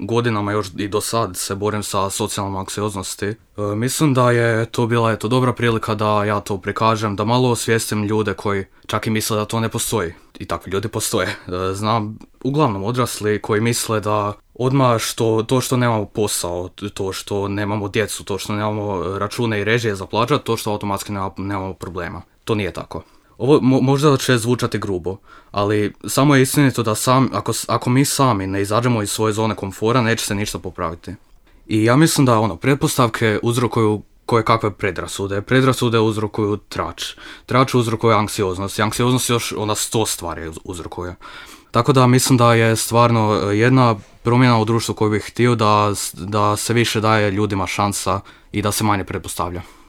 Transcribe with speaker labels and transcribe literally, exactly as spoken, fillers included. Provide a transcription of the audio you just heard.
Speaker 1: godinama još i do sad se borim sa socijalnom anksioznosti. E, mislim da je to bila eto, dobra prilika da ja to prikažem, da malo osvijestim ljude koji čak i misle da to ne postoji. I takvi ljudi postoje. E, znam uglavnom odrasli koji misle da odmah što, to što nemamo posao, to što nemamo djecu, to što nemamo račune i režije za plaćat, to što automatski nema, nemamo problema. To nije tako. Ovo mo- možda će zvučati grubo, ali samo je istinito da sam, ako, ako mi sami ne izađemo iz svoje zone komfora, neće se ništa popraviti. I ja mislim da ono, pretpostavke uzrokuju koje kakve predrasude. Predrasude uzrokuju trač. Trač uzrokuje anksioznost. I anksioznost još ona sto stvari uzrokuje. Tako da mislim da je stvarno jedna promjena u društvu koju bih htio da, da se više daje ljudima šansa i da se manje pretpostavlja.